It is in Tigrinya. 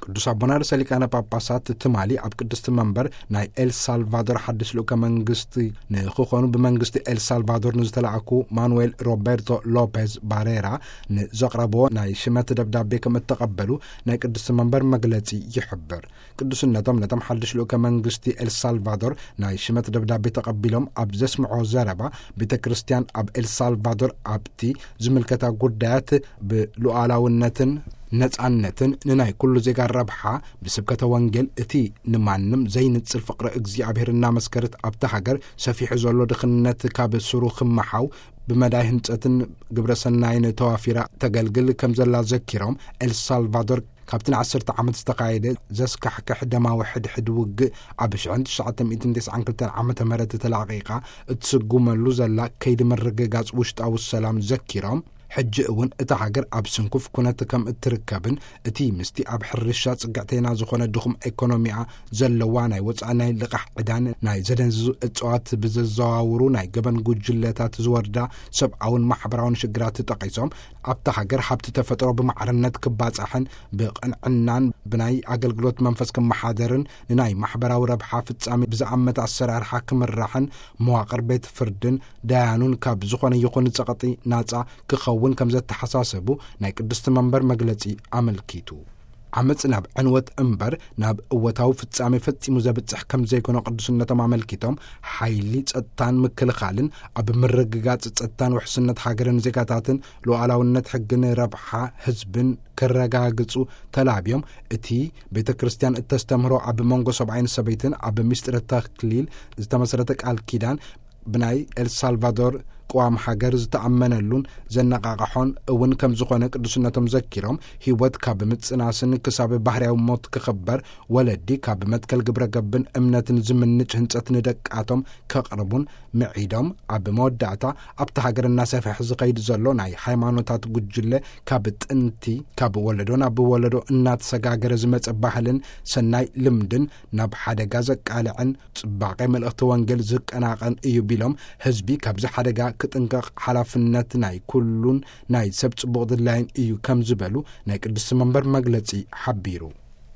ቅዱስ ኣቦና ርእሰ ሊቃነ ጳጳሳት ትማሊ ኣብ ቅድስቲ መንበር ናይ ኤልሳልቫዶር ሓድሽ ልኡከ መንግስቲ ንክኾኑ ብመንግስቲ ኤልሳልቫዶር ንዝተላእኩ ማኑኤል ሮቤርቶ ሎፔዝ ባሬራ ንዘቕረብዎ ናይ ሽመት ደብዳቤ ከም እተቐበሉ ናይ ቅድስቲ መንበር መግለጺ ይሕብር። ቅዱስነቶም ነቶም ሓድሽ ልኡከ መንግስቲ ኤልሳልቫዶር ናይ ሽመት ደብዳቤ ተቐቢሎም ኣብ ዘስምዖ ዘረባ፣ ቤተ ክርስቲያን ኣብ ኤልሳልቫዶር ኣብቲ ዝምልከታ ጉዳያት ብሉዓላውነትን ነጻነትን ንናይ ኩሉ ዜጋ ረብሓ ብስብከተ ወንጌል፣ እቲ ንማንም ዘይንጽል ፍቕሪ እግዚኣብሔር እናመስከረት ኣብታ ሃገር ሰፊሑ ዘሎ ድኽነት ካብ ስሩ ክመሓው ብመዳይ ህንጸትን ግብረ ሰናይን ተዋፊራ ተገልግል ከም ዘላ ዘኪሮም፣ ኤልሳልቫዶር ካብቲ ንዓሰርተ ዓመት ዝተኻየደ ዘስካሕክሕ ደማዊ ሕድሕድ ውግእ ኣብ ሽሕን ትሽዓተ ሚእትን ተስዓን ክልተን ዓመተ ምህረት ተላቒቓ እትስጉመሉ ዘላ ከይዲ ምርግጋጽ ውሽጣዊ ሰላም ዘኪሮም፣ ሕጂ እውን እታ ሃገር ኣብ ስንኩፍ ኩነት ከም እትርከብን እቲ ምስቲ ኣብ ሕርሻ ጽግዕተይና ዝኾነ ድኹም ኤኮኖሚኣ ዘለዋ ናይ ወጻኢ ናይ ልቓሕ ዕዳን ናይ ዘደንዝዙ እጽዋት ብዘዘዋውሩ ናይ ገበን ጉጅለታት ዝወርዳ ሰብኣውን ማሕበራውን ሽግራት ጠቒሶም፣ ኣብታ ሃገር ሃብቲ ተፈጥሮ ብማዕርነት ክባጻሕን ብቕንዕናን ብናይ ኣገልግሎት መንፈስ ክመሓደርን ንናይ ማሕበራዊ ረብሓ ፍጻሜ ብዝኣመተ ኣሰራርሓ ክምራሕን መዋቕር ቤት ፍርድን ዳያኑን ካብ ዝኾነ ይኹን ጸቕጢ ናጻ ክኸውን ከም ዘተሓሳሰቡ ናይ ቅድስቲ መንበር መግለጺ ኣመልኪቱ። ዓመጽ ናብ ዕንወት እምበር ናብ እወታዊ ፍጻሜ ፈጺሙ ዘብጽሕ ከም ዘይኮነ ቅዱስነቶም ኣመልኪቶም፣ ሓይሊ ጸጥታን ምክልኻልን ኣብ ምርግጋጽ ጸጥታን ውሕስነት ሃገርን ዜጋታትን ሉዓላውነት ሕግን ረብሓ ህዝብን ክረጋግጹ ተላብዮም፣ እቲ ቤተ ክርስቲያን እተስተምህሮ ኣብ መንጎ ሰብኣይን ሰበይትን ኣብ ምስጢረ ተክሊል ዝተመስረተ ቃል ኪዳን ብናይ ኤልሳልቫዶር ቅዋም ሃገር ዝተኣመነሉን ዘነቓቕሖን እውን ከም ዝኾነ ቅዱስነቶም ዘኪሮም፣ ህይወት ካብ ምጽናስን ክሳብ ባህርያዊ ሞት ክኽበር፣ ወለዲ ካብ መትከል ግብረ ገብን እምነትን ዝምንጭ ህንጸት ንደቃቶም ከቕርቡን ምዒዶም፣ ኣብ መወዳእታ ኣብቲ ሃገር እናሰፍሐ ዝኸይድ ዘሎ ናይ ሃይማኖታት ጉጅለ ካብ ጥንቲ ካብ ወለዶ ናብ ወለዶ እናተሰጋገረ ዝመጸ ባህልን ሰናይ ልምድን ናብ ሓደጋ ዘቃልዕን ጽባቐ መልእኽቲ ወንጌል ዝቀናቐን እዩ ቢሎም፣ ህዝቢ ካብዚ ሓደጋ ክጥንቀቕ ሓላፍነት ናይ ኩሉን ናይ ሰብ ጽቡቕ ድላይን እዩ ከም ዝበሉ ናይ ቅድስቲ መንበር መግለጺ ሓቢሩ።